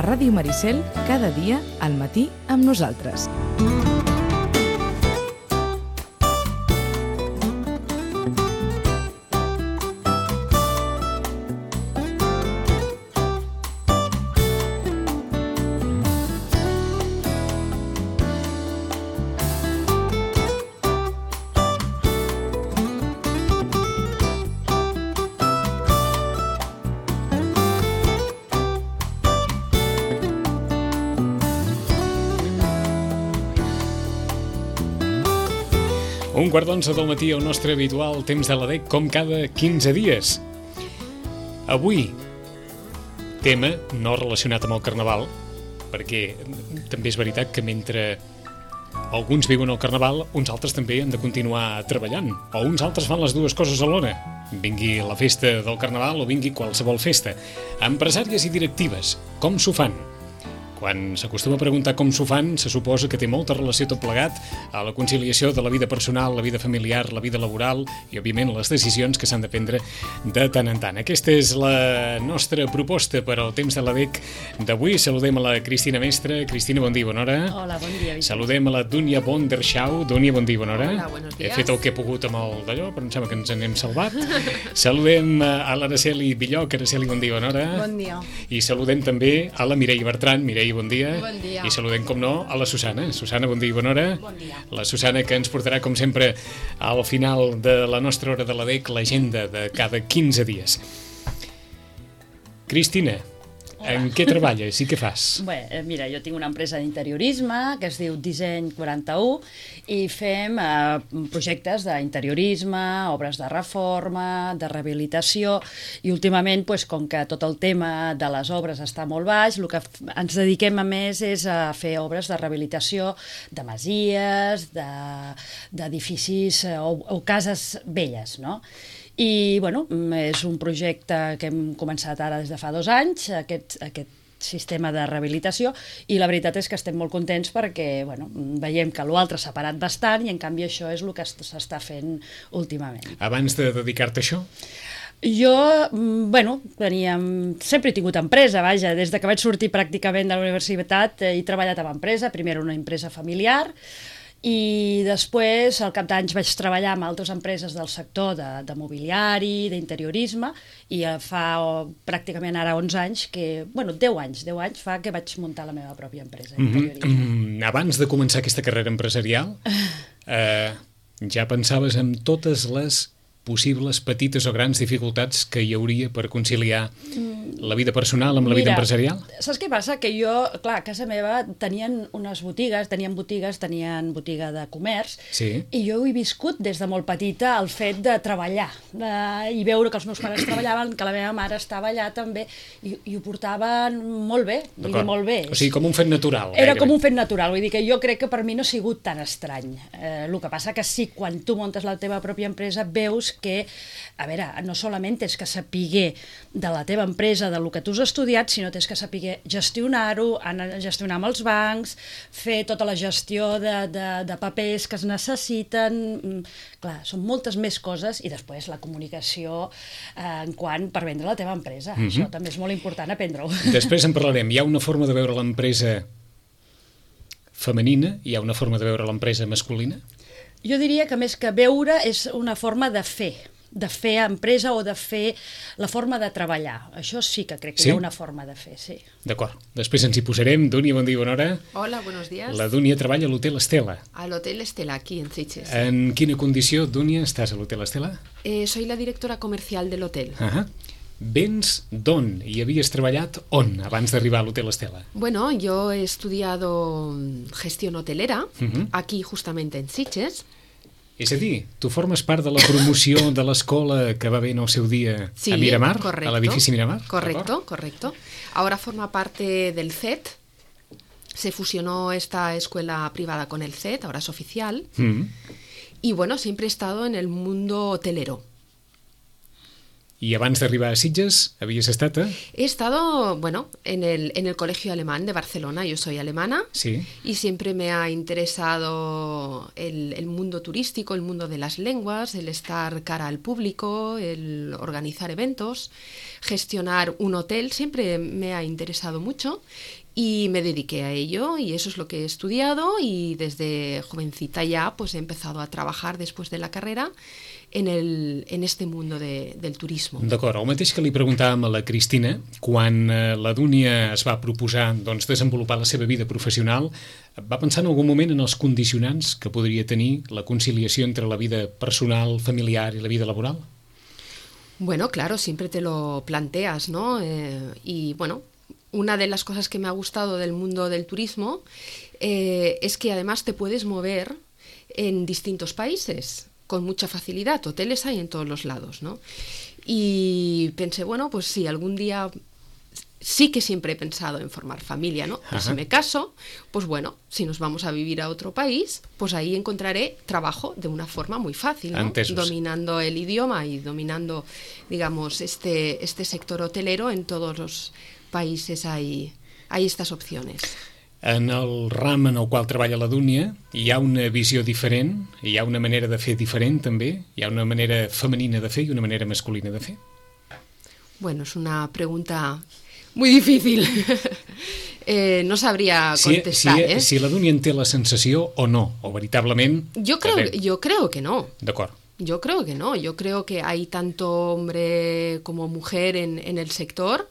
Ràdio Maricel, cada dia al matí amb nosaltres. Un quart d'11 del matí, el nostre habitual temps de l'ADEC, com cada 15 dies. Avui, tema no relacionat amb el Carnaval, perquè també és veritat que mentre alguns viuen el Carnaval, uns altres també han de continuar treballant, o uns altres fan les dues coses alhora. Vingui la festa del Carnaval o vingui qualsevol festa. Empresàries i directives, com s'ho fan? Quan s'acostuma a preguntar com s'ho fan, se suposa que té molta relació tot plegat a la conciliació de la vida personal, la vida familiar, la vida laboral i, òbviament, les decisions que s'han de prendre de tant en tant. Aquesta és la nostra proposta per al temps de l'ADEC d'avui. Saludem a la Cristina Mestre. Cristina, bon dia, bona hora. Hola, bon dia. Saludem a la Dúnia Bonderschau. Dúnia, bon dia, bona hora. Hola, buenos días. He fet el que he pogut amb el d'allò, però em sembla que ens n'hem salvat. Saludem a l'Araceli Villoc. Araceli, bon dia, bona hora. Bon dia. I saludem també a la Mireia Bertran. Mireia, bon dia. Bon dia. I saludem, com no, a la Susana. Susana, bon dia i bona hora. Bon dia. La Susana, que ens portarà, com sempre, al final de la nostra hora de l'ADEC, l'agenda de cada 15 dies. Cristina, en què treballes i què fas? Bé, mira, jo tinc una empresa d'interiorisme que es diu Disseny 41 i fem projectes d'interiorisme, obres de reforma, de rehabilitació i últimament, com que tot el tema de les obres està molt baix, el que ens dediquem a més és a fer obres de rehabilitació de masies, d'edificis o cases velles, no? I, és un projecte que hem començat ara des de fa 2 anys, aquest sistema de rehabilitació, i la veritat és que estem molt contents perquè, veiem que l'altre s'ha parat bastant i, en canvi, això és el que s'està fent últimament. Abans de dedicar-te a això? Jo, sempre he tingut empresa, vaja, des que vaig sortir pràcticament de la universitat he treballat amb empresa, primer una empresa familiar, i després, al cap d'anys, vaig treballar amb altres empreses del sector de mobiliari, d'interiorisme, i fa pràcticament ara 11 anys, 10 anys fa que vaig muntar la meva pròpia empresa d'interiorisme. Abans de començar aquesta carrera empresarial, ja pensaves en totes les possibles petites o grans dificultats que hi hauria per conciliar la vida personal amb la vida empresarial? Saps què passa? Que jo, clar, a casa meva tenien botigues, tenien botiga de comerç, sí. I jo he viscut des de molt petita el fet de treballar i veure que els meus pares treballaven, que la meva mare estava allà també, i ho portaven molt bé, molt bé. O sigui, com un fet natural. Era com un fet natural, vull dir que jo crec que per mi no ha sigut tan estrany. El que passa que sí, quan tu muntes la teva pròpia empresa, veus que, a veure, no solament tens que saber de la teva empresa, del que tu has estudiat, sinó tens que saber gestionar-ho, gestionar amb els bancs, fer tota la gestió de papers que es necessiten. Clar, són moltes més coses, i després la comunicació per vendre la teva empresa. Això també és molt important aprendre-ho. Després en parlarem. Hi ha una forma de veure l'empresa femenina, hi ha una forma de veure l'empresa masculina? Jo diria que més que veure és una forma de fer empresa o de fer la forma de treballar. Això sí que crec que hi ha una forma de fer, sí. D'acord. Després ens hi posarem. Dúnia, bon dia, bona hora. Hola, buenos días. La Dúnia treballa a l'Hotel Estela. Al Hotel Estela, aquí en Sitges. En quina condició, Dúnia, estàs a l'Hotel Estela? Soy la directora comercial del hotel. Vens d'on? I havies treballat on abans d'arribar a l'Hotel Estela? Bueno, yo he estudiado gestión hotelera, aquí justamente en Sitges. És a dir, tu formes part de la promoció de l'escola que va haver en el seu dia a Miramar, correcto, a l'edifici Miramar? Correcto. Ahora forma parte del CET. Se fusionó esta escuela privada con el CET, ahora es oficial. Y siempre he estado en el mundo hotelero. I abans d'arribar a Sitges, havies estat a... He estado, bueno, en el Colegio Alemán de Barcelona, yo soy alemana, Sí. y siempre me ha interesado el mundo turístico, el mundo de las lenguas, el estar cara al público, el organizar eventos, gestionar un hotel, siempre me ha interesado mucho y me dediqué a ello y eso es lo que he estudiado y desde jovencita ya pues he empezado a trabajar después de la carrera en este mundo del turismo. D'acord, el mateix que li preguntàvem a la Cristina, quan la Dúnia es va proposar doncs, desenvolupar la seva vida professional, va pensar en algun moment en els condicionants que podria tenir la conciliació entre la vida personal, familiar i la vida laboral? Bueno, claro, siempre te lo planteas, ¿no? Y bueno, una de las cosas que me ha gustado del mundo del turismo es que además te puedes mover en distintos países con mucha facilidad. Hoteles hay en todos los lados, ¿no? Y pensé, bueno, pues sí, algún día sí que siempre he pensado en formar familia, ¿no? Y si me caso, pues bueno, si nos vamos a vivir a otro país, pues ahí encontraré trabajo de una forma muy fácil, ¿no? Entesos. Dominando el idioma y dominando, digamos, este sector hotelero, en todos los países hay estas opciones. En el ram en el qual treballa la Dúnia hi ha una visió diferent, hi ha una manera de fer diferent també, hi ha una manera femenina de fer i una manera masculina de fer. Bueno, es una pregunta muy difícil. No sabría contestar. Si la Dúnia en té la sensació o no, o veritablement... Yo creo que no. D'acord. Yo creo que no. Yo creo que hay tanto hombre como mujer en el sector.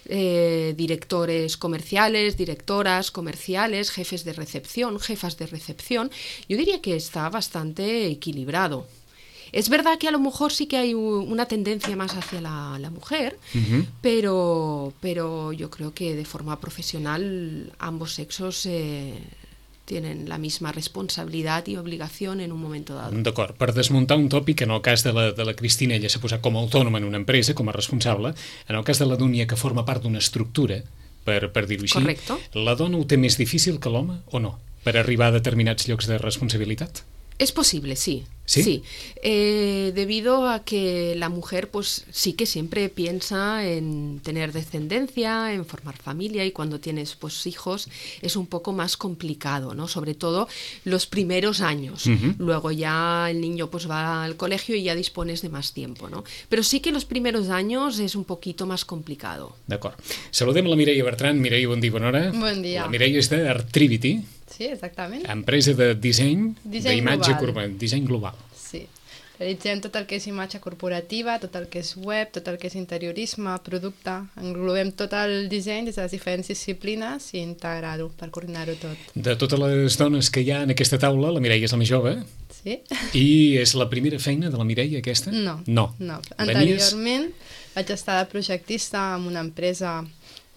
Directores comerciales, directoras comerciales, jefes de recepción, jefas de recepción. Yo diría que está bastante equilibrado. Es verdad que a lo mejor sí que hay una tendencia más hacia la mujer, pero yo creo que de forma profesional ambos sexos tienen la misma responsabilidad y obligación en un momento dado. D'acord, per desmuntar un tòpic, en el cas de la Cristina, ella s'ha posat com a autònoma en una empresa, com a responsable, en el cas de la Dúnia, que forma part d'una estructura, per dir-ho així, Correcto. la dona ho té més difícil que l'home o no, per arribar a determinats llocs de responsabilitat? Es posible, sí. ¿Sí? Sí. Debido a que la mujer pues sí que siempre piensa en tener descendencia, en formar familia, y cuando tienes pues hijos es un poco más complicado, ¿no? Sobre todo los primeros años. Luego ya el niño pues va al colegio y ya dispones de más tiempo, ¿no? Pero sí que los primeros años es un poquito más complicado. D'acord. Saludem la Mireia Bertran. Mireia, bon dia, bona hora. Bon dia. La Mireia és d'Artrivity, Sí, exactament. empresa de disseny d'imatge global. disseny global. Sí. Realitzem tot el que és imatge corporativa, tot el que és web, tot el que és interiorisme, producte. Englobem tot el disseny des de les diferents disciplines i integrar-ho per coordinar-ho tot. De totes les dones que hi ha en aquesta taula, la Mireia és la més jove Sí? i és la primera feina de la Mireia aquesta? No. No. Anteriorment vaig estar de projectista en una empresa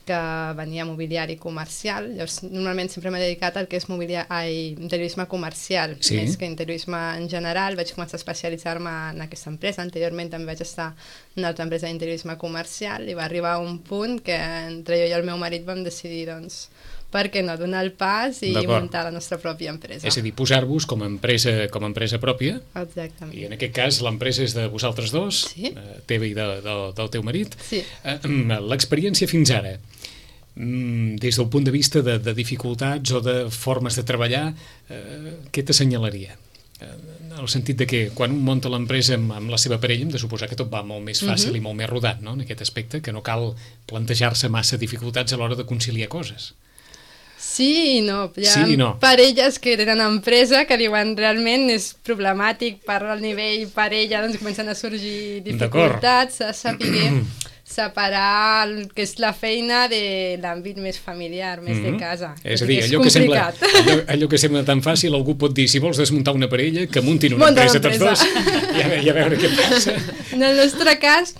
que venia mobiliari comercial. Llavors, normalment sempre m'he dedicat al que és interiorisme comercial, Sí. més que interiorisme en general. Vaig començar a especialitzar-me en aquesta empresa. Anteriorment també vaig estar en una altra empresa d'interiorisme comercial i va arribar un punt que entre jo i el meu marit vam decidir, doncs, per què no donar el pas i D'acord. muntar la nostra pròpia empresa. És a dir, posar-vos com a empresa pròpia, Exactament. i en aquest cas l'empresa és de vosaltres dos, Sí. teva i del teu marit. Sí. L'experiència fins ara, des del punt de vista de dificultats o de formes de treballar, què t'assenyalaria? En el sentit de que quan un munta l'empresa amb la seva parella hem de suposar que tot va molt més fàcil i molt més rodat, no? En aquest aspecte, que no cal plantejar-se massa dificultats a l'hora de conciliar coses. Sí i no. Hi ha Sí i no. parelles que tenen empresa que diuen realment és problemàtic per al nivell parella, doncs comencen a sorgir dificultats, a saber separar el que és la feina de l'àmbit més familiar, més de casa. És a dir, és allò complicat. que sembla tan fàcil, algú pot dir, si vols desmuntar una parella, que muntin una Munta empresa tots dos l'empresa. i a veure què passa. En el nostre cas,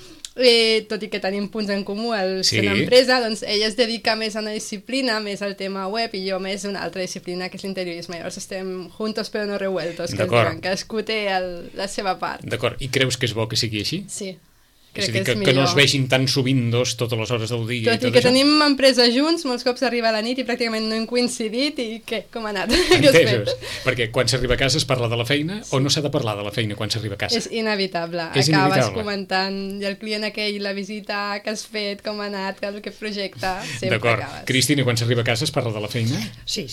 tot i que tenim punts en comú al ser una empresa, doncs ella es dedica més a una disciplina, més al tema web, i jo més a una altra disciplina, que és l'interiorisme. Llavors estem juntos però no revueltos, que es diuen, cadascú té la seva part. D'acord, i creus que és bo que sigui així? Sí. És a dir, que no es vegin tan sovint dos totes les hores del dia. Tot i que tenim empresa junts, molts cops arriba a la nit i pràcticament no hem coincidit i què? Com ha anat? Entesos. Perquè quan s'arriba a casa es parla de la feina o no s'ha de parlar de la feina quan s'arriba a casa? És inevitable. Acabes comentant i el client aquell, la visita que has fet, com ha anat, aquest projecte, sempre D'acord. acabes. Cristina, quan s'arriba a casa es parla de la feina? Sí.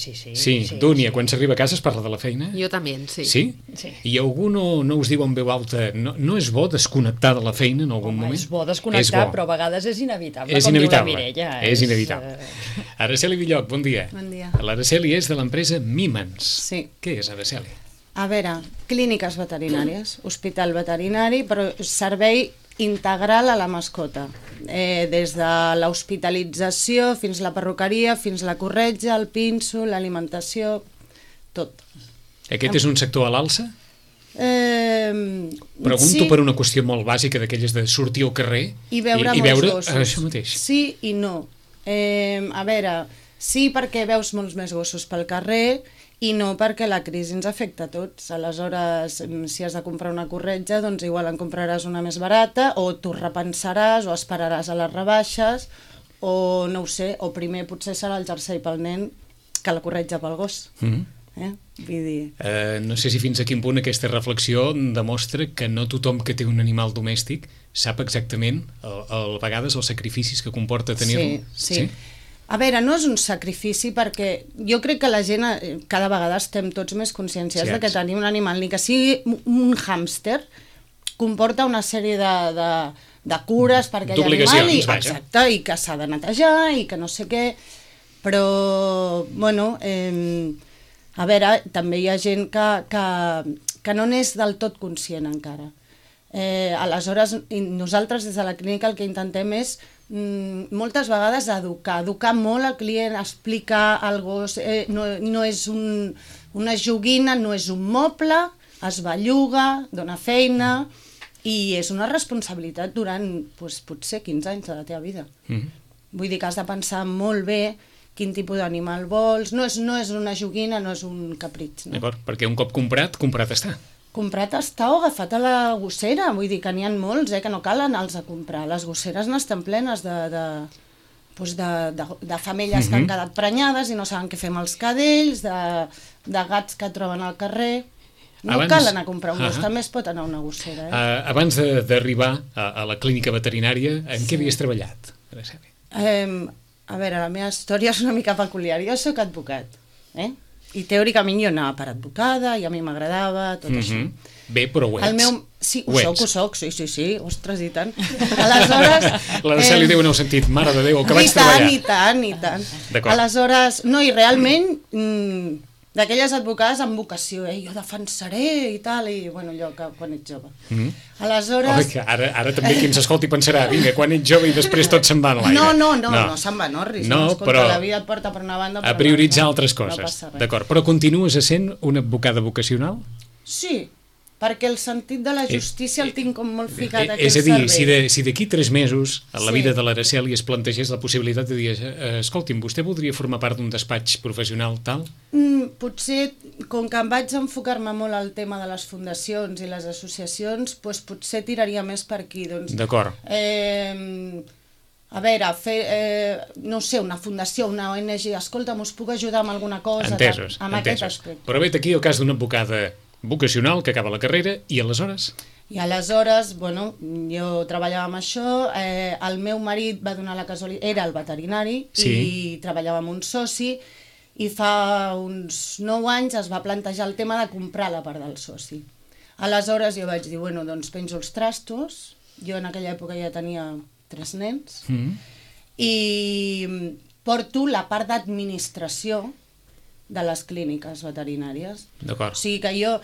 Dúnia, quan s'arriba a casa es parla de la feina? Jo també, sí. Sí? I algú no us diu en veu alta, no és bo desconnectar de la feina en algun moment? És bo desconnectar, però a vegades és inevitable, és com inevitable. diu la Mireia. És inevitable. Araceli Villoc, bon dia. Bon dia. L'Araceli és de l'empresa Mimans. Sí. Què és, Araceli? A veure, clíniques veterinàries, hospital veterinari, però servei integral a la mascota. Des de l'hospitalització fins la perruqueria, fins la corretja, el pinso, l'alimentació, tot. Aquest és un sector a l'alça? Pregunto sí, per una qüestió molt bàsica d'aquelles de sortir al carrer i veure molts gossos. Això mateix. Sí i no. A veure, sí perquè veus molts més gossos pel carrer i no perquè la crisi ens afecta a tots. Aleshores, si has de comprar una corretja, doncs igual en compraràs una més barata o t'ho repensaràs o esperaràs a les rebaixes o no ho sé, o primer potser serà el jersei pel nen que la corretja pel gos. Vull dir... No sé si fins a quin punt aquesta reflexió demostra que no tothom que té un animal domèstic sap exactament a vegades els sacrificis que comporta tenir-lo. Sí. A veure, no és un sacrifici perquè jo crec que la gent cada vegada estem tots més conscienciats de que tenir un animal, ni que sigui un hàmster, comporta una sèrie de cures perquè hi ha animal exacte, i que s'ha de netejar i que no sé què, però bueno... A veure, també hi ha gent que no n'és del tot conscient encara. Aleshores, nosaltres des de la clínica el que intentem és moltes vegades educar molt al client, explicar al gos, no és una joguina, no és un moble, es belluga, dona feina i és una responsabilitat durant potser 15 anys de la teva vida. Vull dir que has de pensar molt bé quin tipus d'animal vols, no és una joguina, no és un capritx. No? D'acord, perquè un cop comprat està. Comprat està o agafat a la gossera, vull dir que n'hi ha molts, que no cal anar-los a comprar. Les gosseres n'estan plenes de femelles que han quedat prenyades i no saben què fer amb els cadells, de gats que troben al carrer... No cal anar a comprar un gos, també es pot anar a una gossera. Abans d'arribar a la clínica veterinària, en què havies treballat? A veure, la meva història és una mica peculiar. Jo soc advocat, i teòricament jo anava per advocada i a mi m'agradava tot això. Bé, però ho ets. Sí, ho soc, sí, ostres, i tant. Aleshores... L'Araceli Déu no heu sentit, mare de Déu, el que vaig treballar. I tant. Aleshores, no, i realment... d'aquelles advocades amb vocació, jo defensaré i tal, i bueno, allò que quan ets jove. Aleshores... Ara també qui ens escolti pensarà, vinga, quan ets jove i després tot se'n va en l'aire. No se'n va, no, escolta, la vida et porta per una banda... A prioritzar altres coses, d'acord. Però continues essent una advocada vocacional? Sí, perquè el sentit de la justícia el tinc com molt ficat aquí al cervell. És a dir, si d'aquí 3 mesos a la vida de l'Araceli es plantegés la possibilitat de dir, escolti'm, vostè voldria formar part d'un despatx professional tal? Potser, com que em vaig enfocar-me molt al tema de les fundacions i les associacions, doncs potser tiraria més per aquí. D'acord. A veure, no sé, una fundació, una ONG, escolta'm, us puc ajudar amb alguna cosa? Entesos. Aquest aspecte. Però vet aquí el cas d'una advocada vocacional que acaba la carrera i aleshores? I aleshores, bueno, jo treballava amb això, el meu marit va donar la casualitat, era el veterinari i treballava amb un soci i fa uns 9 anys es va plantejar el tema de comprar la part del soci. Aleshores jo vaig dir, bueno, doncs penjo els trastos, jo en aquella època ja tenia 3 nens i porto la part d'administració de les clíniques veterinàries. D'acord. O sigui que jo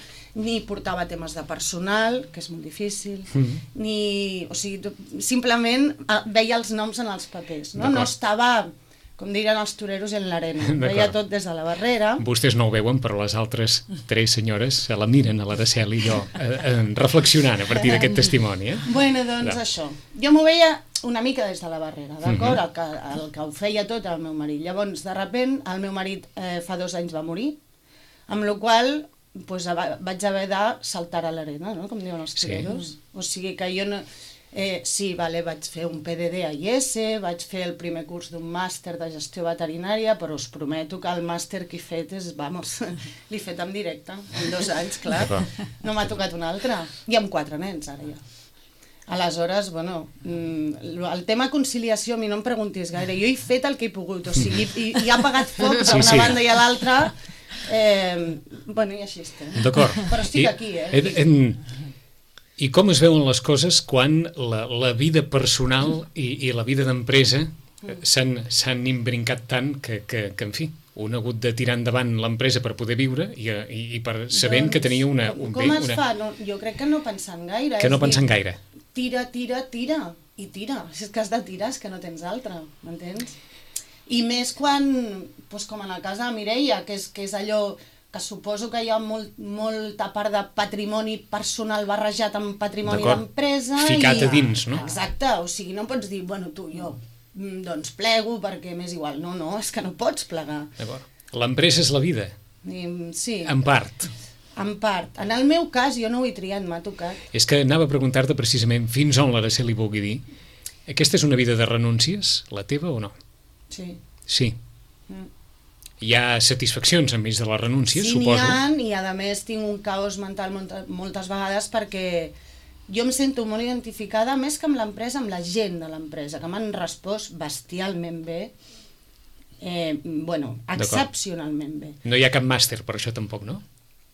ni portava temes de personal, que és molt difícil, o sigui, simplement veia els noms en els papers, no estava, com dirien els toreros, en l'arena. Veia tot des de la barrera. Vostès no ho veuen, però les altres 3 senyores se la miren a l'Araceli i jo reflexionant a partir d'aquest testimoni. Bueno, doncs això. Jo m'ho veia una mica des de la barrera, d'acord? El que ho feia tot el meu marit. Llavors, de repent, el meu marit fa 2 anys va morir, amb la qual cosa vaig haver de saltar a l'arena, no? Com diuen els toreros. O sigui que jo no... Sí, vale, vaig fer un PDD a IES, vaig fer el primer curs d'un màster de gestió veterinària, però us prometo que el màster que he fet és, vamos, l'he fet en directe, en 2 anys, clar. No m'ha tocat un altre. I amb 4 nens, ara ja. Aleshores, bueno, el tema conciliació a mi no em preguntis gaire. Jo he fet el que he pogut, o sigui, i ha apagat foc d'una banda i a l'altra. Bueno, i així estem. D'acord. Però estic aquí, I com es veuen les coses quan la vida personal i la vida d'empresa s'han imbrincat tant que, en fi, un ha hagut de tirar endavant l'empresa per poder viure i per sabent que tenia un bé... Com es fa? No, jo crec que no pensant gaire. Que no pensant gaire. Tira, i tira. Si és que has de tirar, és que no tens altra, m'entens? I més quan, doncs com en el cas de la Mireia, que és allò que suposo que hi ha molta part de patrimoni personal barrejat amb patrimoni d'empresa. Ficat a dins, no? Exacte, o sigui, no pots dir, bueno, tu, jo, doncs plego perquè m'és igual. No, és que no pots plegar. D'acord. L'empresa és la vida. Sí. En part. En part. En el meu cas, jo no ho he triat, m'ha tocat. És que anava a preguntar-te precisament fins on l'Araceli vulgui dir. Aquesta és una vida de renúncies, la teva o no? Sí. Sí. Hi ha satisfaccions enmig de les renúncies, suposo. Sí, n'hi ha, i a més tinc un caos mental moltes vegades perquè jo em sento molt identificada, més que amb l'empresa, amb la gent de l'empresa, que m'han respost bestialment bé, bueno, excepcionalment bé. No hi ha cap màster per això tampoc, no?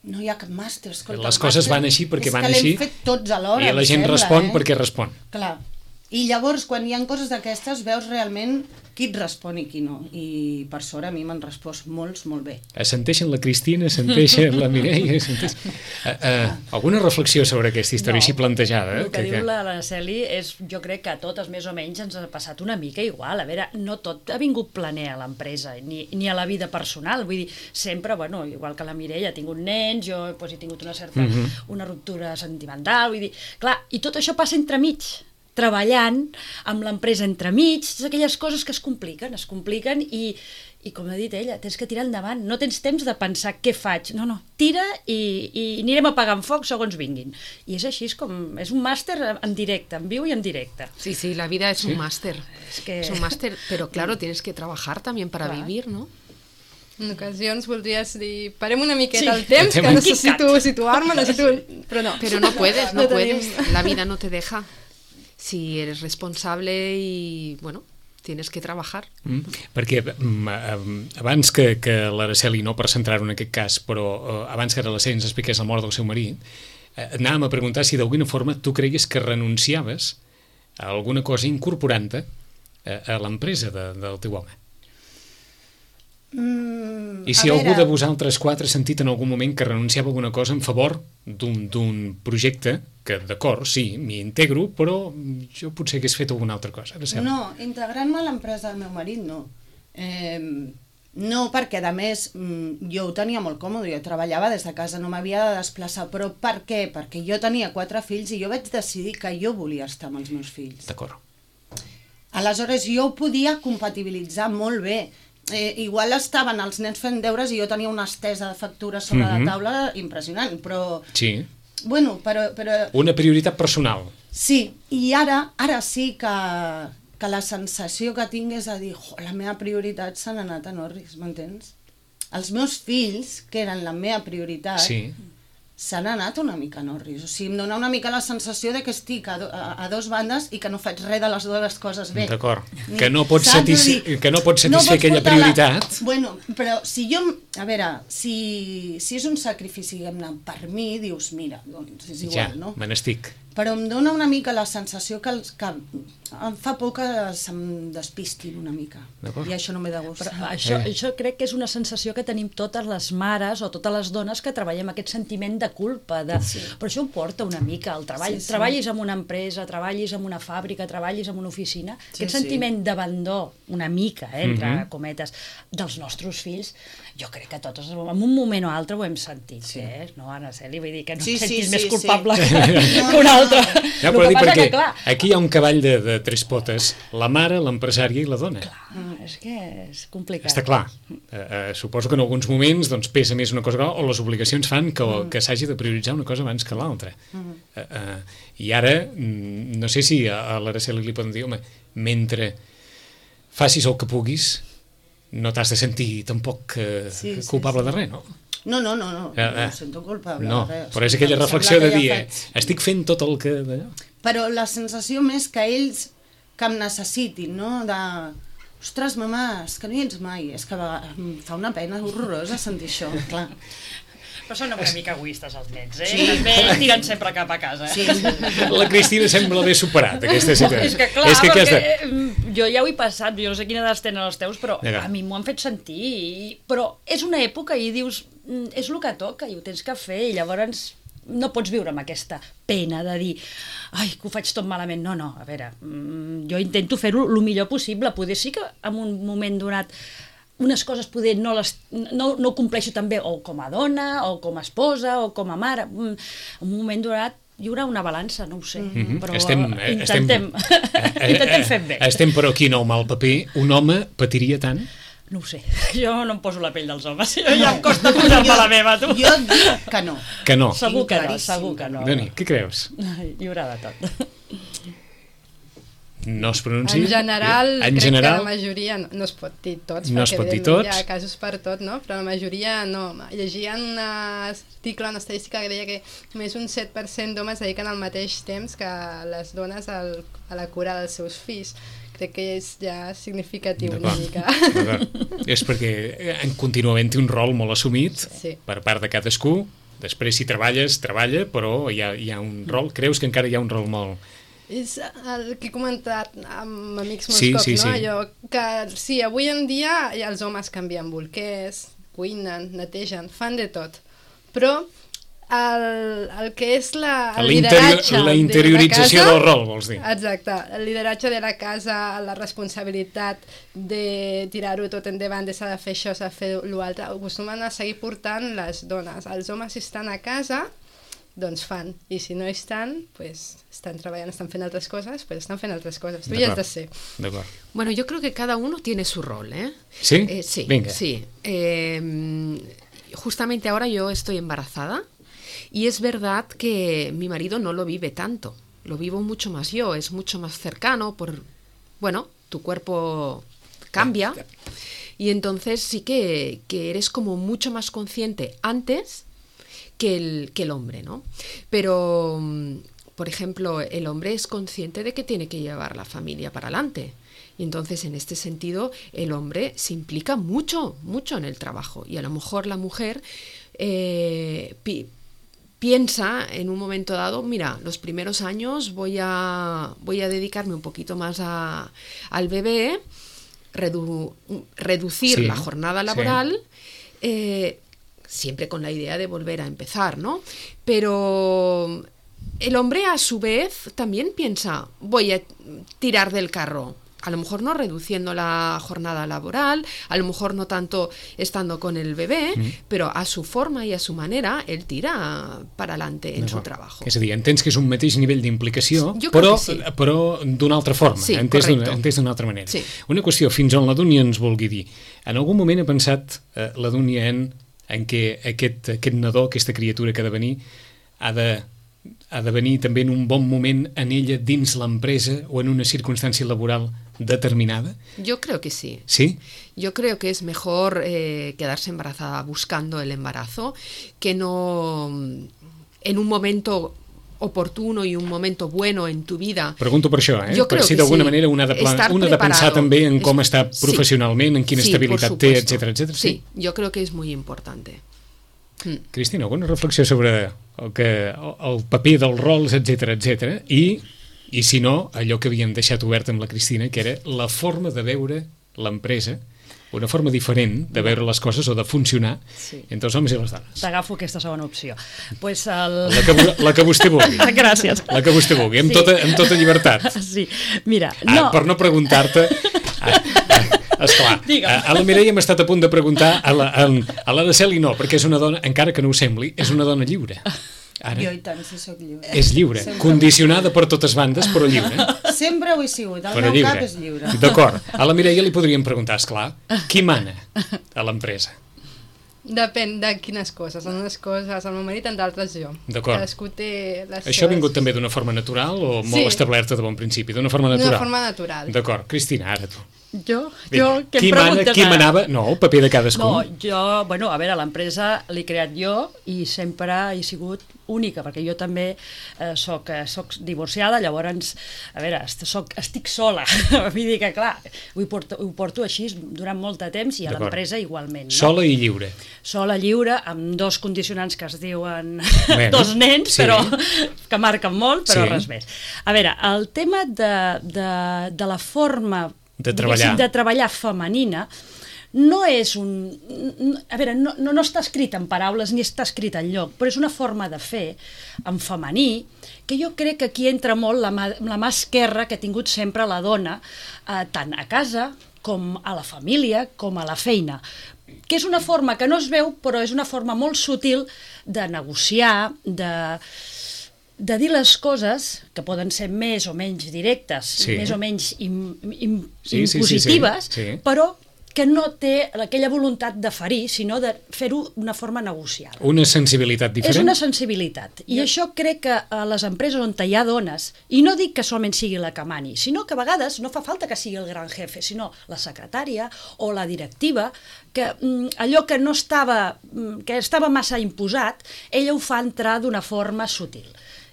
No hi ha cap màster, escolta. Les coses van així perquè van així. És que l'hem fet tots alhora, i la gent respon perquè respon. Clar. I llavors, quan hi ha coses d'aquestes, veus realment qui et respon i qui no. I per sort a mi m'han respost molts, molt bé. Assenteixen la Cristina, assenteixen la Mireia... Alguna reflexió sobre aquesta història així plantejada? El que diu l'Araceli és, jo crec que a totes més o menys ens ha passat una mica igual. A veure, no tot ha vingut planer a l'empresa, ni a la vida personal. Vull dir, sempre, bueno, igual que la Mireia ha tingut nens, jo he tingut una certa una ruptura sentimental, vull dir... Clar, i tot això passa entremig, treballant amb l'empresa entremig, aquelles coses que es compliquen i com ha dit ella, tens que tirar endavant, no tens temps de pensar què faig, no, tira i anirem apagant foc segons vinguin. I és així, és un màster en directe, en viu y en directe. Sí, la vida es un máster, es un máster, pero claro, tienes que trabajar también para vivir, ¿no? En ocasions voldries dir, parem una miqueta el temps, que necesito situar-me, però no. Però no puedes, la vida no te deja. Si eres responsable y, bueno, tienes que trabajar. Perquè abans que l'Araceli, no per centrar-ho en aquest cas, però abans que l'Araceli ens expliqués la mort del seu marit, anàvem a preguntar si d'alguna forma tu creies que renunciaves a alguna cosa incorporant-te a l'empresa del teu home. I si algú de vosaltres 4 ha sentit en algun moment que renunciava a alguna cosa en favor d'un projecte que, d'acord, sí, m'hi integro, però jo potser hagués fet alguna altra cosa. No, integrant-me a l'empresa del meu marit, no. No, perquè, a més, jo ho tenia molt còmode, jo treballava des de casa, no m'havia de desplaçar, però per què? Perquè jo tenia 4 fills i jo vaig decidir que jo volia estar amb els meus fills. D'acord. Aleshores, jo ho podia compatibilitzar molt bé. Igual estaven els nens fent deures i jo tenia una estesa de factures sobre la taula impressionant, però... Sí. Bueno, però... Una prioritat personal. Sí, i ara sí que la sensació que tinc és a dir, la meva prioritat s'han anat a Norris, m'entens? Els meus fills, que eren la meva prioritat, s'han anat una mica a Norris. O sigui, em dona una mica la sensació de que estic a dos bandes i que no faig res de les dues coses bé. D'acord. Que no pots satisfer aquella prioritat. Bueno, però si jo... A veure, si és un sacrifici, diguem-ne, per mi, dius, mira, doncs és igual, no? Ja, me n'estic. Però em dona una mica la sensació que em fa por que se'm despistin una mica. I això no m'he de gust. Això crec que és una sensació que tenim totes les mares o totes les dones que treballem aquest sentiment de culpa. Però això ho porta una mica al treball. Treballis en una empresa, treballis en una fàbrica, treballis en una oficina. Aquest sentiment d'abandó, una mica, entre cometes, dels nostres fills, jo crec que totes, en un moment o altre ho hem sentit. No, Araceli? Vull dir que no et sentis més culpable que un altre. l'altre. Ja, però dir perquè aquí hi ha un cavall de tres potes, la mare, l'empresària i la dona. És que és complicat. Està clar. Suposo que en alguns moments doncs, pesa més una cosa o les obligacions fan que s'hagi de prioritzar una cosa abans que l'altra. I ara, no sé si a l'Araceli li poden dir, home, mentre facis el que puguis, no t'has de sentir tampoc culpable de res, no? No em sento culpable no, de res. Però és aquella reflexió de dir, estic fent tot el que... Però la sensació més que ells que em necessitin, no? De, ostres, mamà, és que no hi ets mai. És que em fa una pena horrorosa sentir això, clar. Però són una mica egoistes els nens, Sí. També tiren sempre cap a casa. Sí. La Cristina sembla haver superat aquesta situació. És que clar, perquè jo ja ho he passat, jo no sé quina edat tenen els teus, però a mi m'ho han fet sentir. Però és una època i dius, és el que toca i ho tens que fer, i llavors no pots viure amb aquesta pena de dir ai, que ho faig tot malament. No, a veure, jo intento fer-ho el millor possible. Poder sí que en un moment donat unes coses poder no compleixo tan bé, o com a dona, o com a esposa, o com a mare. En un moment donat hi haurà una balança, no ho sé, però intentem fer bé. Estem però aquí en el mal paper. Un home patiria tant? No ho sé, jo no em poso la pell dels homes, ja em costa posar-me la meva, tu. Jo dic que no. Que no? Segur que no. Doni, què creus? Hi haurà de tot. No es pronuncia? En general, crec que la majoria no es pot dir tots, no perquè hi ha casos per tot, no? Però la majoria no. Llegia un article, una estadística que deia que només un 7% d'homes dediquen al mateix temps que les dones a la cura dels seus fills. Crec que és ja significatiu una mica. És perquè continua havent-hi un rol molt assumit per part de cadascú. Després, si treballes, treballa, però hi ha un rol. Creus que encara hi ha un rol molt... És el que he comentat amb amics molts cops, no? Allò que sí, avui en dia els homes canvien bolquers, cuinen, netegen, fan de tot. Però el que és el lideratge la interiorització del rol, vols dir? Exacte, el lideratge de la casa, la responsabilitat de tirar-ho tot endavant, de s'ha de fer això, s'ha de fer l'altre, acostumen a seguir portant les dones. Els homes, si estan a casa, doncs fan, i si no estan, pues estan treballant, estan fent altres coses, pues estan fent altres coses. Tu ya has de ser. Bueno, yo creo que cada uno tiene su rol, ¿eh? ¿Sí? Sí, venga. Sí. Justamente ahora yo estoy embarazada y es verdad que mi marido no lo vive tanto, lo vivo mucho más yo, es mucho más cercano bueno, tu cuerpo cambia y entonces sí que eres como mucho más consciente antes que el hombre, ¿no? Pero, por ejemplo, el hombre es consciente de que tiene que llevar la familia para adelante. Y entonces, en este sentido, el hombre se implica mucho en el trabajo. Y a lo mejor la mujer piensa en un momento dado, mira, los primeros años voy a dedicarme un poquito más al bebé, reducir la jornada laboral, siempre con la idea de volver a empezar, ¿no? Pero el hombre a su vez también piensa, voy a tirar del carro, a lo mejor no reduciendo la jornada laboral, a lo mejor no tanto estando con el bebé, però a su forma i a su manera ell tira per adelante en su trabajo. És a dir, entens que és un mateix nivell d'implicació, però d'una altra forma, entès d'una altra manera. Sí. Una qüestió, fins on la Dúnia ens vulgui dir. En algun moment ha pensat la Dúnia en què aquest nadó, aquesta criatura que ha de venir, ha de venir també en un bon moment en ella dins l'empresa o en una circunstància laboral determinada? Yo creo que sí. ¿Sí? Yo creo que es mejor quedarse embarazada buscando el embarazo que no en un momento oportuno i un momento bueno en tu vida. Pregunto per això, per si d'alguna manera una ha de pensar també en com està professionalment, en quina estabilitat té, etc. Sí, yo creo que es muy importante. Cristina, alguna reflexió sobre el paper dels rols, etc. I si no, allò que havíem deixat obert amb la Cristina, que era la forma de veure l'empresa, una forma diferent de veure les coses o de funcionar entre els homes i les dones. T'agafo aquesta segona opció. Pues la que vostè vulgui. Gràcies. La que vostè vulgui, amb tota llibertat. Sí, mira... Per no preguntar-te... Esclar, a la Mireia hem estat a punt de preguntar, a l'Araceli no, perquè és una dona, encara que no ho sembli, és una dona lliure. Ara Jo i tant, si sóc lliure. és lliure, condicionada per totes bandes, però lliure. Sempre ho he sigut, el Però meu lliure. cap és lliure. D'acord. A la Mireia li podríem preguntar, esclar, qui mana a l'empresa? Depèn de quines coses. En unes coses el meu marit, en d'altres jo. D'acord. Cadascú té les Això ha vingut seves... també d'una forma natural o molt Sí. establerta de bon principi? D'una forma natural? D'una forma natural. D'acord. Cristina, ara tu. Jo, Vinga. que em Qui preguntes qui ara? manava? No, el paper de cadascú. No, jo, bueno, a veure, l'empresa l'he creat jo i sempre he sigut única, perquè jo també soc divorciada, llavors, a veure, estic sola. Vull dir que, clar, ho porto així durant molt de temps i a D'acord. l'empresa igualment. No? Sola i lliure. Sola, lliure, amb dos condicionants que es diuen Bueno, dos nens, sí. però que marquen molt, però Sí. res més. A veure, el tema de la forma De treballar. diguéssim, de treballar femenina no és un... A veure, no està escrit en paraules ni està escrit en lloc, però és una forma de fer en femení que jo crec que aquí entra molt la mà esquerra que ha tingut sempre la dona, tant a casa com a la família, com a la feina, que és una forma que no es veu, però és una forma molt sutil de negociar, de dir les coses, que poden ser més o menys directes, Sí. més o menys Sí, impositives, sí. però que no té aquella voluntat de ferir, sinó de fer-ho d'una forma negociada. Una sensibilitat diferent? És una sensibilitat. I això crec que a les empreses on hi ha dones, i no dic que solament sigui la que mani, sinó que a vegades no fa falta que sigui el gran jefe, sinó la secretària o la directiva, que allò que no estava, que estava massa imposat, ella ho fa entrar d'una forma sutil.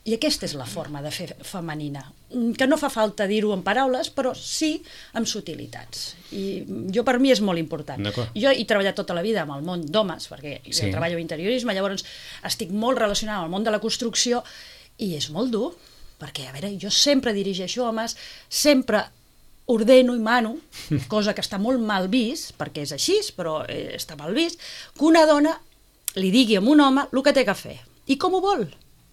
I aquesta és la forma de fer femenina, que no fa falta dir-ho en paraules, però sí amb sutilitats. I jo, per mi, és molt important. D'acord. Jo he treballat tota la vida amb el món d'homes, perquè Sí. jo treballo en interiorisme, llavors estic molt relacionada amb el món de la construcció i és molt dur, perquè, a veure, jo sempre dirigeixo homes, sempre ordeno i mano, cosa que està molt mal vist, perquè és així, però està mal vist, que una dona li digui a un home el que té que fer. I com ho vol?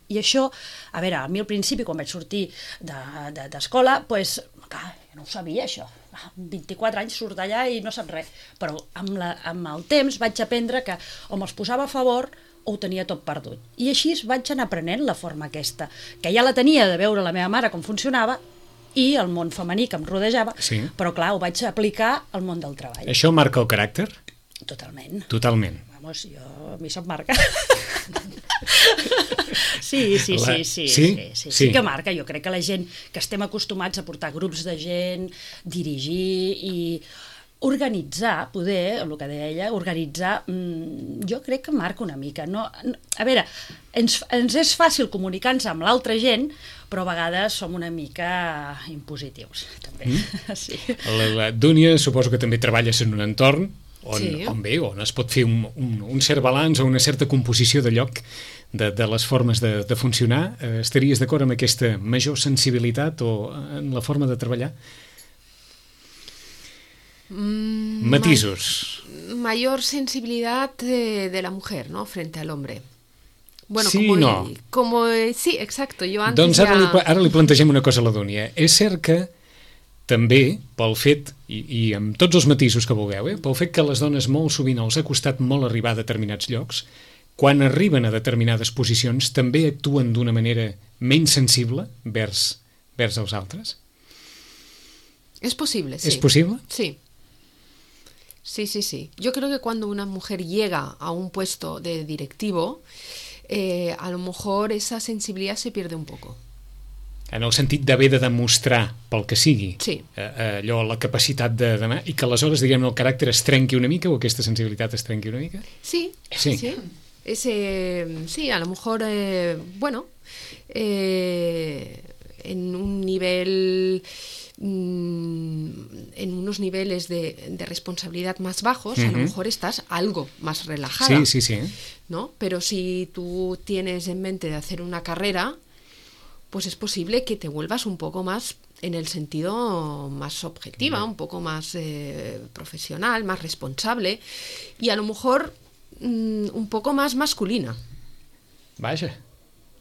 I això, a veure, a mi al principi, quan vaig sortir d'escola, doncs, clar, no ho sabia, això. Amb 24 anys surt d'allà i no sap res. Però amb el temps vaig aprendre que o me'ls posava a favor o ho tenia tot perdut. I així vaig anar aprenent la forma aquesta, que ja la tenia de veure la meva mare com funcionava i el món femení que em rodejava, Sí. però clar, ho vaig aplicar al món del treball. Això marca el caràcter? Totalment. Totalment. Vamos, jo, a mi se'm marca. Sí, sí que marca. Jo crec que la gent que estem acostumats a portar grups de gent, dirigir i organitzar, poder, el que deia ella, organitzar, jo crec que marca una mica. No, a veure, ens és fàcil comunicar-nos amb l'altra gent, però a vegades som una mica impositius, també. Sí. La Dúnia suposo que també treballes en un entorn Sí. on es pot fer un cert balanç o una certa composició de lloc de les formes de funcionar. Estaries d'acord amb aquesta major sensibilitat o en la forma de treballar? Matisos. Mayor sensibilidad de la mujer, ¿no? Frente al hombre. Bueno, Sí, no. Sí, exacto. Yo antes Doncs ara li plantegem una cosa a la Dúnia. És cert que també, pel fet, i amb tots els matisos que vulgueu, pel fet que les dones molt sovint els ha costat molt arribar a determinats llocs, quan arriben a determinades posicions també actuen d'una manera menys sensible vers els altres? Es posible, sí. ¿Es posible? Sí. Sí. Yo creo que cuando una mujer llega a un puesto de directivo, a lo mejor esa sensibilidad se pierde un poco. En el sentit d'haver de demostrar pel que sigui Sí. allò, la capacitat de demà, i que aleshores, diguem, el caràcter es trenqui una mica o aquesta sensibilitat es trenqui una mica? Sí. Sí, a lo mejor, en un nivel, en unos niveles de responsabilidad más bajos, a lo mejor estás algo más relajada. Sí. ¿No? Pero si tú tienes en mente de hacer una carrera, pues es posible que te vuelvas un poco más en el sentido más objetiva, un poco más profesional, más responsable y a lo mejor un poco más masculina. Vaja.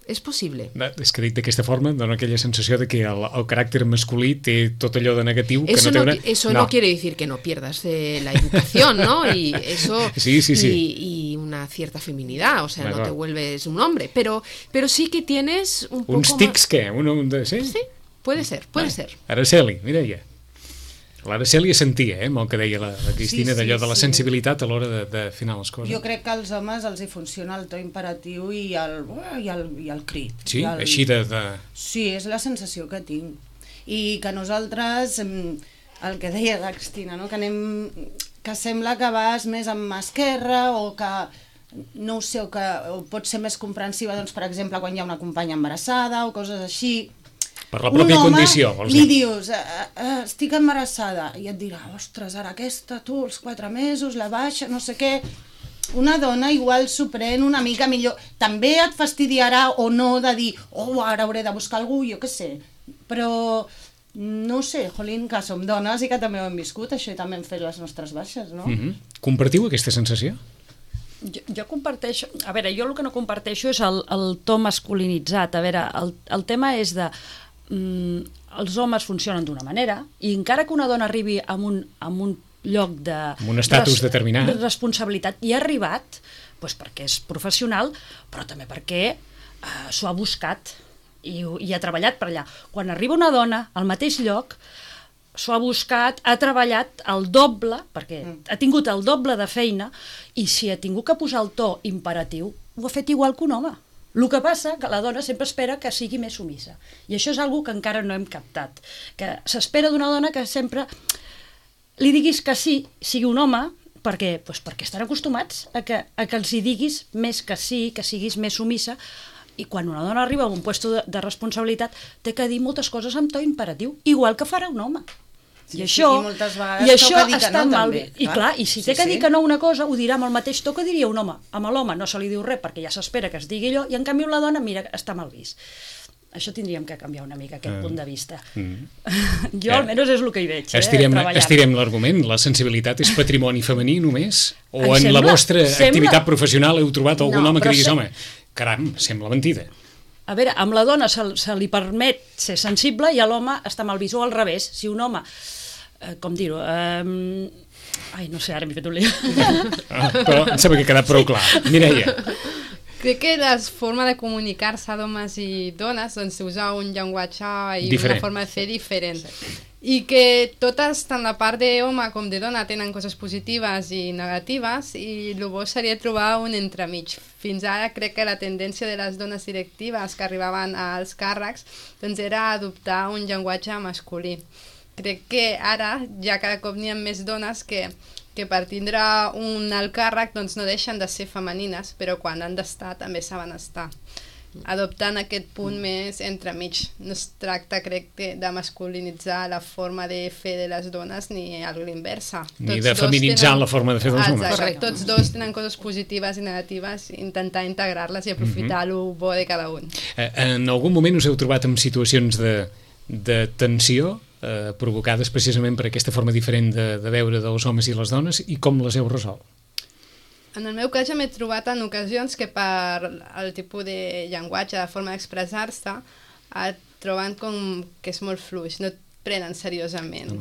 és possible. És que dit d'aquesta forma dona aquella sensació de que el caràcter masculí té tot allò de negatiu que eso no té una... Eso no quiere decir que no pierdas la educación, ¿no? Y eso sí. Y una cierta feminidad, o sea, no te vuelves un hombre, pero sí que tienes un poco uns tics más... què? Sí? Sí, puede ser. Araceli, Mireia. L'Araceli sentia, amb el que deia la Cristina, d'allò de la sensibilitat a l'hora de afinar les coses. Jo crec que als homes els hi funciona el to imperatiu i el crit. Sí, així de... Sí, és la sensació que tinc. I que nosaltres, el que deia la Cristina, no? Que sembla que vas més amb mà esquerra o que, no ho sé, o pots ser més comprensiva, doncs, per exemple, quan hi ha una companya embarassada o coses així. Per la pròpia condició, vols dir? Li dius, estic embarassada, i et dirà, ostres, ara aquesta, tu, els 4 mesos, la baixa, no sé què... Una dona igual s'ho pren una mica millor. També et fastidiarà o no de dir, ara hauré de buscar algú, jo què sé. Però, no sé, jolín, que som dones i que també ho hem viscut, això i també hem fet les nostres baixes, no? Compartiu aquesta sensació? Jo comparteixo... A veure, jo el que no comparteixo és el to masculinitzat. A veure, el tema és de... els homes funcionen d'una manera i encara que una dona arribi a un lloc de... amb un estatus determinat. De responsabilitat, i ha arribat doncs perquè és professional, però també perquè s'ho ha buscat i ha treballat per allà. Quan arriba una dona al mateix lloc, s'ho ha buscat, ha treballat el doble, perquè ha tingut el doble de feina, i si ha tingut que posar el to imperatiu, ho ha fet igual que un home. El que passa que la dona sempre espera que sigui més sumissa. I això és algo que encara no hem captat. Que s'espera d'una dona que sempre li diguis que sí, sigui un home, perquè estan acostumats a que els hi diguis més que sí, que siguis més sumissa, i quan una dona arriba a un lloc de responsabilitat té que dir moltes coses amb to imperatiu, igual que farà un home. Sí, i això està mal. I clar, i si té que dir que no una cosa, ho dirà amb el mateix to que diria un home. Amb l'home no se li diu res perquè ja s'espera que es digui allò, i en canvi la dona, mira, està mal vist. Això tindríem que canviar una mica, aquest punt de vista. Jo almenys és el que hi veig. Estirem l'argument. La sensibilitat és patrimoni femení només? O en la vostra activitat professional heu trobat algun home que diguis, home, caram, sembla mentida. A veure, amb la dona se li permet ser sensible i a l'home està mal vist, o al revés. Si un home, com dir-ho, no sé, ara m'he fet un lío. Però em sembla que ha quedat prou clar. Mireia. Crec que la forma de comunicar-se d'homes i dones, doncs usar un llenguatge i una forma de fer diferent. I que totes, tant la part d'home com de dona, tenen coses positives i negatives, i el bo seria trobar un entremig. Fins ara crec que la tendència de les dones directives que arribaven als càrrecs doncs era adoptar un llenguatge masculí. Crec que ara ja cada cop n'hi ha més dones que per tindre un alt càrrec doncs no deixen de ser femenines, però quan han d'estar també saben estar. Adoptant aquest punt més entremig. No es tracta, crec, de masculinitzar la forma de fer de les dones ni a l'inversa. Ni de feminitzar la forma de fer dels homes. Correcte. Tots dos tenen coses positives i negatives, intentar integrar-les i aprofitar el bo de cada un. En algun moment us heu trobat en situacions de tensió provocades precisament per aquesta forma diferent de veure dels homes i les dones, i com les heu resolt? En el meu cas ja m'he trobat en ocasions que per el tipus de llenguatge, de forma d'expressar-se, trobant com que és molt fluix, no et prenen seriosament.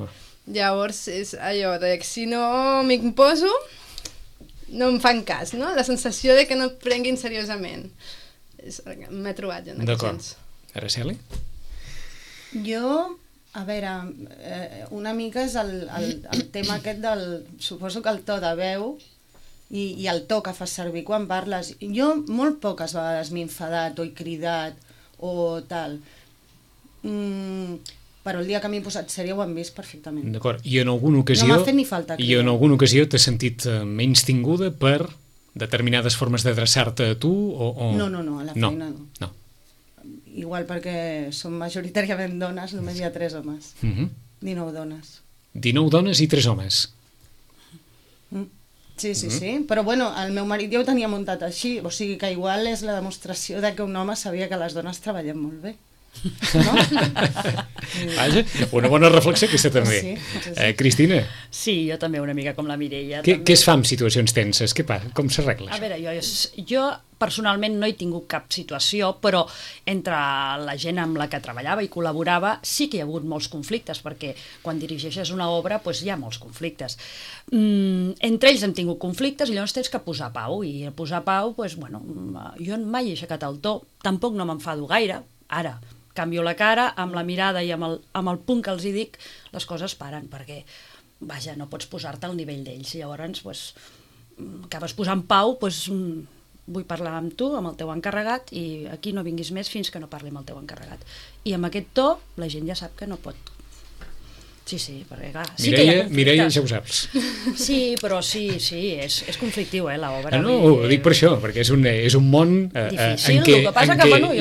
Llavors és allò de que si no m'imposo no em fan cas, no? La sensació de que no et prenguin seriosament. M'he trobat ja en ocasions. D'acord. Araceli? Jo... A veure, una mica és el tema aquest del... Suposo que el to de veu i el to que fas servir quan parles. Jo molt poques vegades m'he enfadat o he cridat o tal. Però el dia que m'he posat sèria ho han vist perfectament. D'acord. I en alguna ocasió... No m'ha fet ni falta cridar. I en alguna ocasió t'has sentit menys tinguda per determinades formes d'adreçar-te a tu o... No, a la feina no. No. Igual perquè som majoritàriament dones, només hi ha 3 homes. 19 dones. 19 dones i 3 homes. Sí. Però bueno, el meu marit ja ho tenia muntat així, o sigui que igual és la demostració de que un home sabia que les dones treballem molt bé. No? Vaja, una bona reflexió aquesta també. Sí. Cristina? Sí, jo també una mica com la Mireia. Què es fa en situacions tenses? Què passa? Com s'arregla? A veure, jo personalment no he tingut cap situació, però entre la gent amb la que treballava i col·laborava sí que hi ha hagut molts conflictes, perquè quan dirigeixes una obra doncs hi ha molts conflictes. Entre ells hem tingut conflictes i llavors tens que posar pau, i posar pau, doncs, bueno, jo mai he aixecat el to, tampoc no m'enfado gaire, ara canvio la cara, amb la mirada i amb el punt que els hi dic, les coses paren, perquè, vaja, no pots posar-te al nivell d'ells, llavors, doncs, acabes posant pau, doncs, vull parlar amb tu, amb el teu encarregat, i aquí no vinguis més fins que no parli amb el teu encarregat. I amb aquest to, la gent ja sap que no pot. Sí, perquè clar... Mireia, ja ho saps. Sí, però sí, és conflictiu, l'obra. No, ho dic per això, perquè és un món en què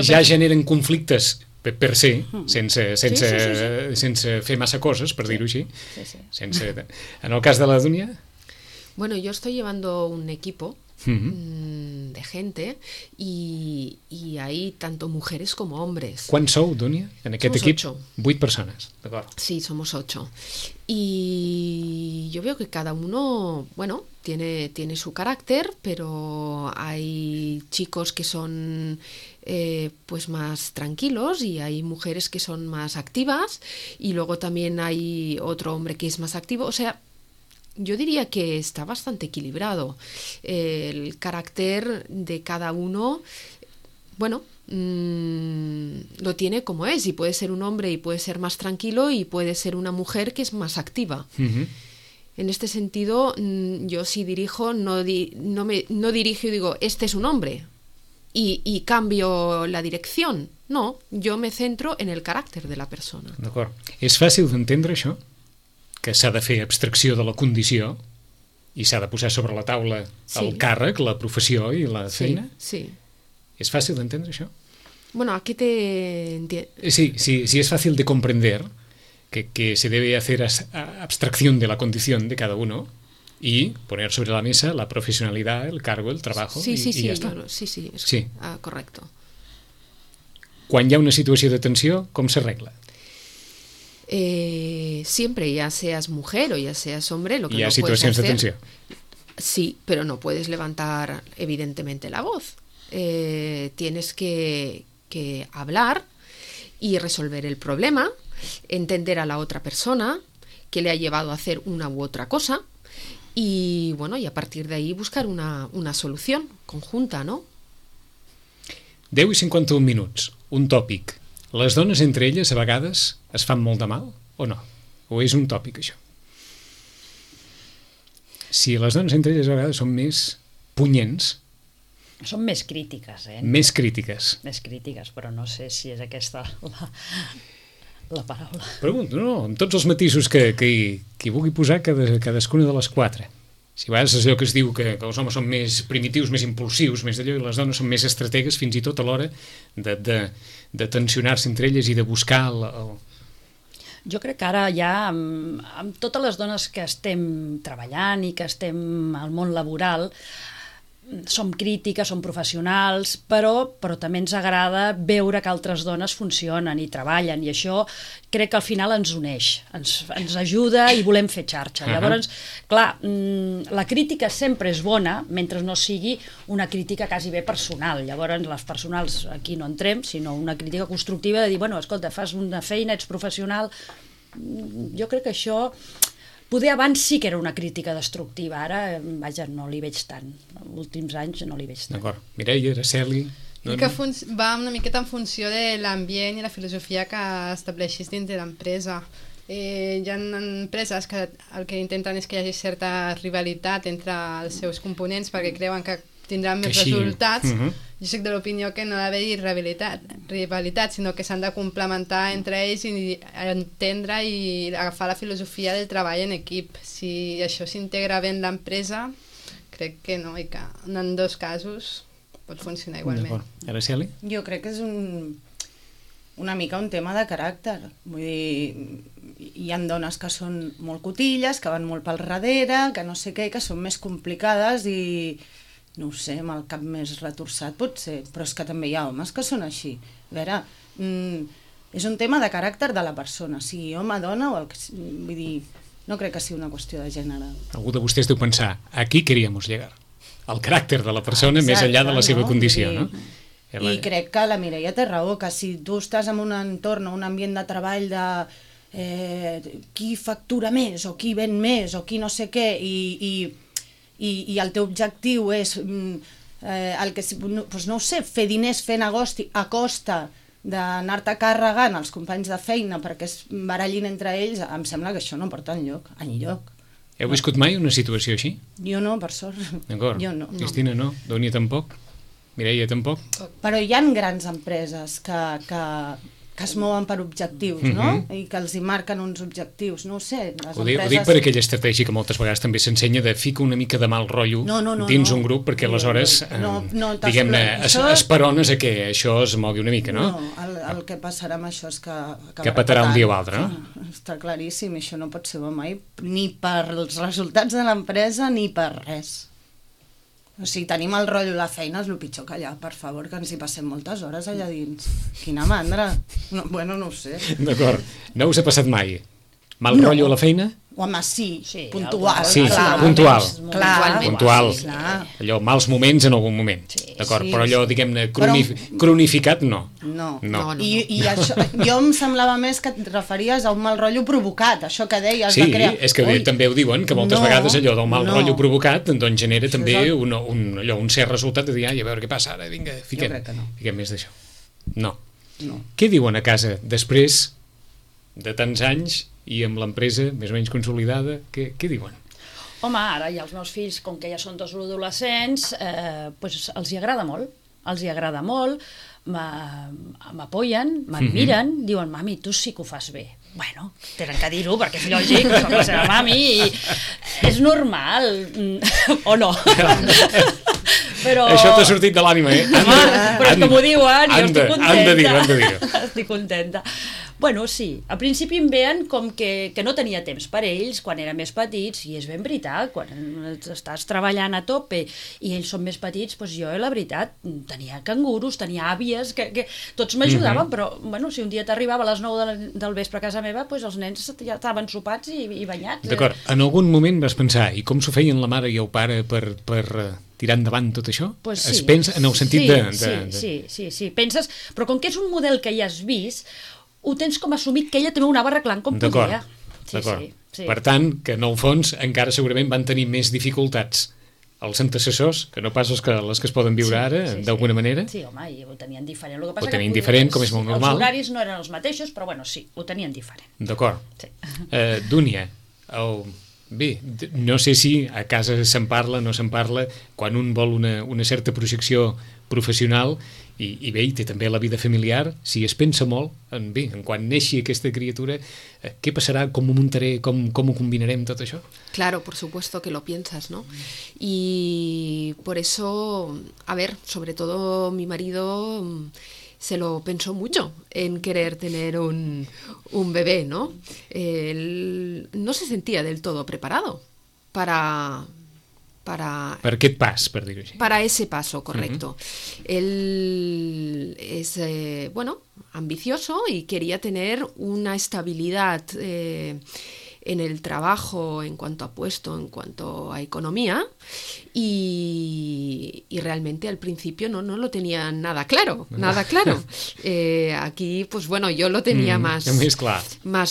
ja generen conflictes per ser, sense fer massa coses, per dir-ho així. En el cas de la Dúnia... Bueno, yo estoy llevando un equipo de gente y hay tanto mujeres como hombres. ¿Cuántos sou, Dúnia, en aquest equip? 8 persones, d'acord. Sí, somos 8. Y yo veo que cada uno, bueno, tiene su carácter, pero hay chicos que son pues más tranquilos y hay mujeres que son más activas y luego también hay otro hombre que es más activo, o sea... Yo diría que está bastante equilibrado. El carácter de cada uno, bueno, lo tiene como es, y puede ser un hombre y puede ser más tranquilo y puede ser una mujer que es más activa. En este sentido, yo si dirijo, no dirijo y digo, este es un hombre y cambio la dirección. No, yo me centro en el carácter de la persona. D'acord. És fàcil d'entendre això? Que s'ha de fer abstracció de la condició i s'ha de posar sobre la taula el càrrec, la professió i la feina? Sí. ¿Es fácil de entender això? Bueno, aquí te entiendo. Sí, es fácil de comprender que se debe hacer abstracción de la condición de cada uno y poner sobre la mesa la profesionalidad, el cargo, el trabajo y ja està. Sí, correcto. Quan hi ha una situació de tensió, com s'arregla? Siempre, ya seas mujer o ya seas hombre, lo que ¿Y no hay situaciones puedes de hacer, tensión? Sí, pero no puedes levantar evidentemente la voz. Tienes que hablar y resolver el problema, entender a la otra persona que le ha llevado a hacer una u otra cosa y bueno, y a partir de ahí buscar una solución conjunta, ¿no? 10 i 51 minuts, un tòpic. Les dones entre elles a vegades es fan molt de mal o no? O és un tòpic això? Si les dones entre elles a vegades són més punyents... Són més crítiques, Més crítiques. Més crítiques, però no sé si és aquesta la paraula. Pregunto, no, amb tots els matisos que vulgui posar cadascuna de les 4. Si a vegades és allò que es diu que els homes són més primitius, més impulsius, més d'allò, i les dones són més estrategues fins i tot a l'hora de tensionar-se entre elles i de buscar el... Jo crec que ara ja, amb totes les dones que estem treballant i que estem al món laboral, som crítiques, som professionals, però també ens agrada veure que altres dones funcionen i treballen, i això crec que al final ens uneix, ens ajuda i volem fer xarxa. Llavors, clar, la crítica sempre és bona, mentre no sigui una crítica quasi bé personal. Llavors, les personals aquí no entrem, sinó una crítica constructiva de dir, bueno, escolta, fas una feina, ets professional... Jo crec que això... Poder abans sí que era una crítica destructiva, ara, vaja, no li veig tant. Els últims anys no li veig tant. D'acord. Mireia, Araceli... Que va una miqueta en funció de l'ambient i la filosofia que estableixis dins de l'empresa. Hi ha empreses que el que intenten és que hi hagi certa rivalitat entre els seus components perquè creuen que tindran més resultats. Jo soc de l'opinió que no ha d'haver-hi rivalitat, sinó que s'han de complementar entre ells i entendre i agafar la filosofia del treball en equip. Si això s'integra bé en l'empresa, crec que no, i que en dos casos pot funcionar igualment. Araceli? Jo crec que és una mica un tema de caràcter. Vull dir, hi ha dones que són molt cotilles, que van molt pel darrere, que no sé què, que són més complicades i... no ho sé, amb el cap més retorçat potser, però és que també hi ha homes que són així. A veure, és un tema de caràcter de la persona, sigui home, dona o el que... Vull dir, no crec que sigui una qüestió de gènere. Algú de vostès deu pensar, aquí queríamos llegar. el caràcter de la persona més enllà de la seva condició, no? I crec que la Mireia té raó, que si tu estàs en un entorn, un ambient de treball de qui factura més o qui ven més o qui no sé què i el teu objectiu és el que, doncs no ho sé, fer diners, fer negoci a costa d'anar-te carregant els companys de feina perquè es barallin entre ells, em sembla que això no porta enlloc. Heu viscut mai una situació així? Jo no, per sort. D'acord. Jo no. Cristina no? Dònia tampoc? Mireia tampoc? Però hi ha grans empreses que es mouen per objectius, no? I que els hi marquen uns objectius, no ho sé. Ho dic per aquella estratègia que moltes vegades també s'ensenya de ficar una mica de mal rotllo dins un grup perquè aleshores, diguem-ne, esperones a que això es mogui una mica, no? No, el que passarà amb això és que patarà un dia o altre, no? Està claríssim, això no pot ser bo mai, ni per els resultats de l'empresa ni per res. O sigui, tenim el rotllo a la feina, és el pitjor que allà, per favor, que ens hi passem moltes hores allà dins. Quina mandra. Bueno, no ho sé. D'acord. No us ha passat mai? Mal rotllo a la feina? Home, sí, puntual. Sí, clar. puntual. Puntual. Allò, mals moments en algun moment. D'acord, però allò, diguem-ne, cronificat, no. No. I això, jo em semblava més que et referies a un mal rotllo provocat, això que deies de crear. Sí, és que també ho diuen, que moltes vegades allò del mal rotllo provocat doncs genera també un cert resultat de dir, a veure què passa ara, vinga, fiquem més d'això. No. Què diuen a casa després de tants anys i amb l'empresa més o menys consolidada, què diuen? Home, ara ja els meus fills, com que ja són dos adolescents, doncs els hi agrada molt, m'apoyen, m'admiren, diuen, mami, tu sí que ho fas bé. Bueno, tenen que dir-ho, perquè és lògic, soc la seva mami, i és normal, o no? Però... Això t'ha sortit de l'ànima, eh? Però és que m'ho diuen, jo estic contenta. Han de dir-ho. Estic contenta. Bueno, sí, al principi em veien com que no tenia temps per ells quan eren més petits, i és ben veritat, quan estàs treballant a tope i ells són més petits, doncs jo, la veritat, tenia cangurus, tenia àvies, que tots m'ajudaven, però, bueno, si un dia t'arribava a les 9 del vespre a casa meva, doncs els nens ja estaven sopats i banyats. D'acord, en algun moment vas pensar, i com s'ho feien la mare i el pare per tirar endavant tot això? Pues sí. Es pensa en el sentit Sí, penses, però com que és un model que ja has vist, ho tens com assumit que ella també ho anava arreglant com podia. D'acord. Per tant, que en el fons encara segurament van tenir més dificultats els antecessors, que no pas les que es poden viure ara, d'alguna manera. Sí, home, i ho tenien diferent. Ho tenien diferent, com és molt normal. Els horaris no eren els mateixos, però bueno, sí, ho tenien diferent. D'acord. Dúnia, bé, no sé si a casa se'n parla, no se'n parla, quan un vol una certa projecció professional i bé, i té també la vida familiar, si es pensa molt en quan neixi aquesta criatura, què passarà, com ho muntaré, com ho combinarem tot això? Claro, por supuesto que lo piensas, ¿no? Y por eso, a ver, sobre todo mi marido se lo pensó mucho en querer tener un bebé, ¿no? Él no se sentía del todo preparado para aquest pas, per dir-ho així. Para ese paso, correcto. Él es, ambicioso y quería tener una estabilidad en el trabajo, en cuanto a puesto, en cuanto a economía, y realmente al principio no lo tenía nada claro. Aquí, pues bueno, yo lo tenía más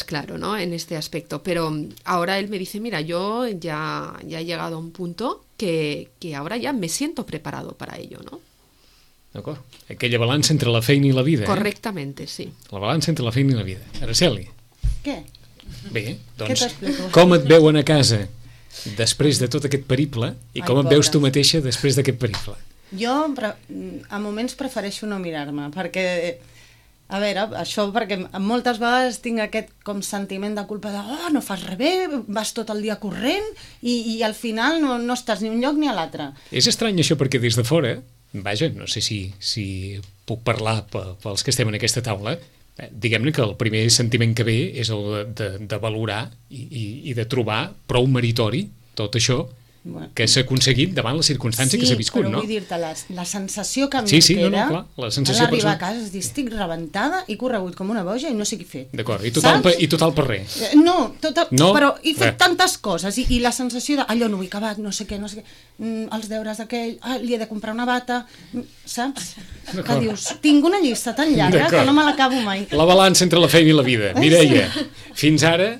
claro, ¿no? En este aspecto, pero ahora él me dice, mira, yo ya he llegado a un punto que ahora ya me siento preparado para ello, ¿no? D'acord. Aquella balança entre la feina i la vida. Correctament, sí. La balança entre la feina i la vida. Araceli. Què? Bé, doncs, com et veuen a casa després de tot aquest periple i com et veus tu mateixa després d'aquest periple? Jo, a moments, prefereixo no mirar-me, perquè, a veure, això perquè moltes vegades tinc aquest com sentiment de culpa de no fas res bé, vas tot el dia corrent i al final no estàs ni un lloc ni a l'altre. És estrany això perquè des de fora, vaja, no sé si puc parlar pels que estem en aquesta taula, diguem-ne que el primer sentiment que ve és el de valorar i de trobar prou meritori tot això que s'ha aconseguit davant la circumstància que s'ha viscut, no? Sí, però vull dir-te, la sensació que em queda... clar, la sensació d'arribar a casa és dir, estic rebentada, he corregut com una boja i no sé què he fet. D'acord, i total per res. No, però he fet tantes coses i la sensació de, allò no ho he acabat, no sé què, els deures d'aquell, li he de comprar una bata, saps? Que dius, tinc una llista tan llarga que no me l'acabo mai. La balança entre la feina i la vida. Mireia, fins ara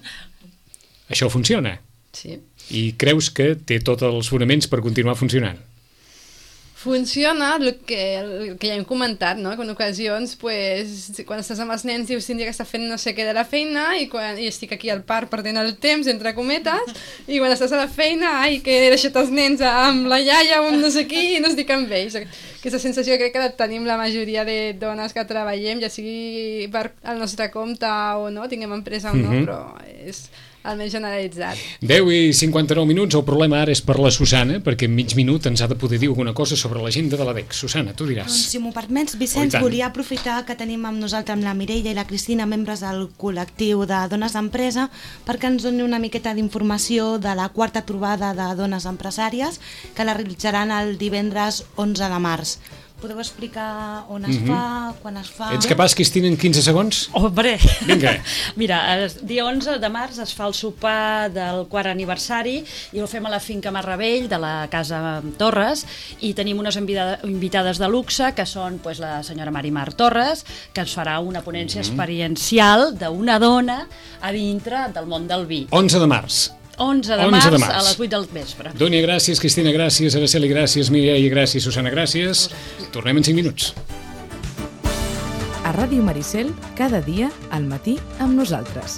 això funciona. Sí. I creus que té tots els fonaments per continuar funcionant? Funciona el que ja hem comentat, no? Que en ocasions, pues, quan estàs amb els nens dius un dia que està fent no sé què de la feina i estic aquí al parc perdent el temps, entre cometes, i quan estàs a la feina, que he deixat els nens amb la iaia o amb no sé qui i no estic amb ells. Aquesta sensació crec que la tenim la majoria de dones que treballem, ja sigui per al nostre compte o no, tinguem empresa o no, però és almenys generalitzat. 10:59, el problema ara és per la Susana, perquè en mig minut ens ha de poder dir alguna cosa sobre l'agenda de l'ADEC. Susana, tu diràs. Doncs, si m'ho permets, Vicenç, volia aprofitar que tenim amb nosaltres, amb la Mireia i la Cristina, membres del col·lectiu de Dones d'Empresa, perquè ens doni una miqueta d'informació de la quarta trobada de dones empresàries, que la realitzaran el divendres 11 de març. Podeu explicar on es fa, quan es fa... Ets capaç, Cristina, en 15 segons? Hombre! Vinga. Mira, el dia 11 de març es fa el sopar del quart aniversari i ho fem a la finca Marravell de la Casa Torres i tenim unes invitades de luxe que són la senyora Marimar Torres, que ens farà una ponència experiencial d'una dona a dintre del món del vi. 11 de març. 11 de març a les 8 del vespre. Dònia, gràcies, Cristina, gràcies, Araceli, gràcies, Mireia, gràcies, Susana, gràcies. Tornem en 5 minuts. A Ràdio Maricel, cada dia, al matí, amb nosaltres.